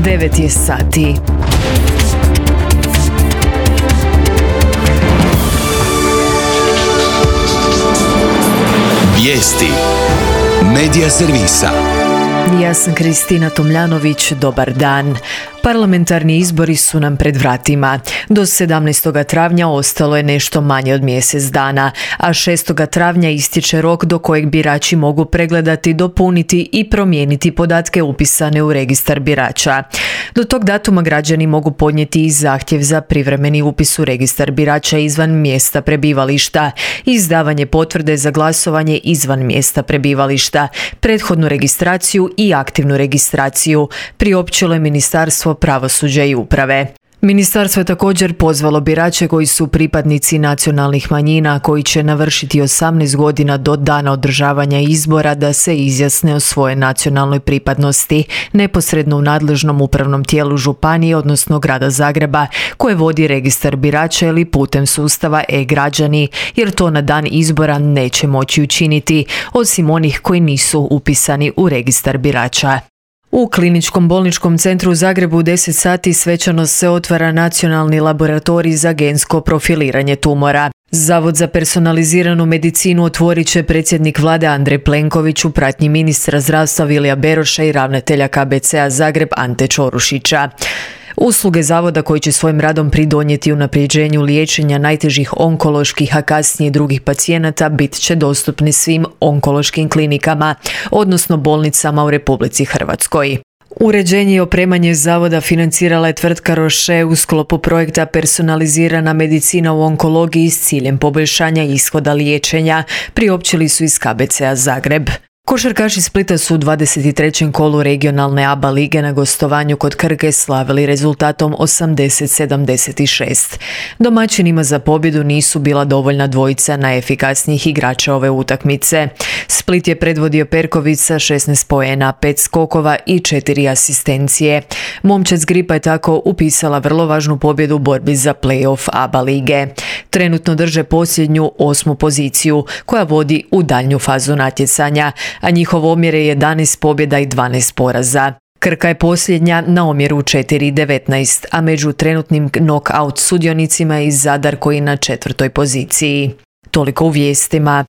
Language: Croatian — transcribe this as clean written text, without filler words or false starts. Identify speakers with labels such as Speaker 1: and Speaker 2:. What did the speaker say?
Speaker 1: 9 je sati.
Speaker 2: Vijesti Medija servisa.
Speaker 1: Ja sam Kristina Tomljanović, dobar dan. Parlamentarni izbori su nam pred vratima. Do 17. travnja ostalo je nešto manje od mjesec dana, a 6. travnja istječe rok do kojeg birači mogu pregledati, dopuniti i promijeniti podatke upisane u registar birača. Do tog datuma građani mogu podnijeti i zahtjev za privremeni upis u registar birača izvan mjesta prebivališta, izdavanje potvrde za glasovanje izvan mjesta prebivališta, prethodnu registraciju i aktivnu registraciju, priopćilo je Ministarstvo pravosuđa i uprave. Ministarstvo je također pozvalo birače koji su pripadnici nacionalnih manjina koji će navršiti 18 godina do dana održavanja izbora da se izjasne o svojoj nacionalnoj pripadnosti neposredno u nadležnom upravnom tijelu županije, odnosno grada Zagreba, koje vodi registar birača ili putem sustava e-građani, jer to na dan izbora neće moći učiniti, osim onih koji nisu upisani u registar birača. U Kliničkom bolničkom centru u Zagrebu u 10 sati svečano se otvara Nacionalni laboratorij za gensko profiliranje tumora. Zavod za personaliziranu medicinu otvorit će predsjednik vlade Andrej Plenković u pratnji ministra zdravstva Vilija Beroša i ravnatelja KBC-a Zagreb Ante Čorušića. Usluge zavoda koji će svojim radom pridonijeti unapređenju liječenja najtežih onkoloških, a kasnije drugih pacijenata bit će dostupni svim onkološkim klinikama, odnosno bolnicama u Republici Hrvatskoj. Uređenje i opremanje zavoda financirala je tvrtka Roche u sklopu projekta Personalizirana medicina u onkologiji s ciljem poboljšanja ishoda liječenja, priopćili su iz KBC-a Zagreb. Košarkaši Splita su u 23. kolu regionalne ABA lige na gostovanju kod Krke slavili rezultatom 80-76. Domaćinima za pobjedu nisu bila dovoljna dvojica najefikasnijih igrača ove utakmice. Split je predvodio Perković sa 16 poena, 5 skokova i 4 asistencije. Momčad Gripa je tako upisala vrlo važnu pobjedu u borbi za play-off ABA lige. Trenutno drže posljednju 8. poziciju koja vodi u daljnju fazu natjecanja, a njihov omjer je 11 pobjeda i 12 poraza. Krka je posljednja na omjeru 4-19, a među trenutnim knock-out sudionicima je i Zadar koji je na 4. poziciji. Toliko u vijestima.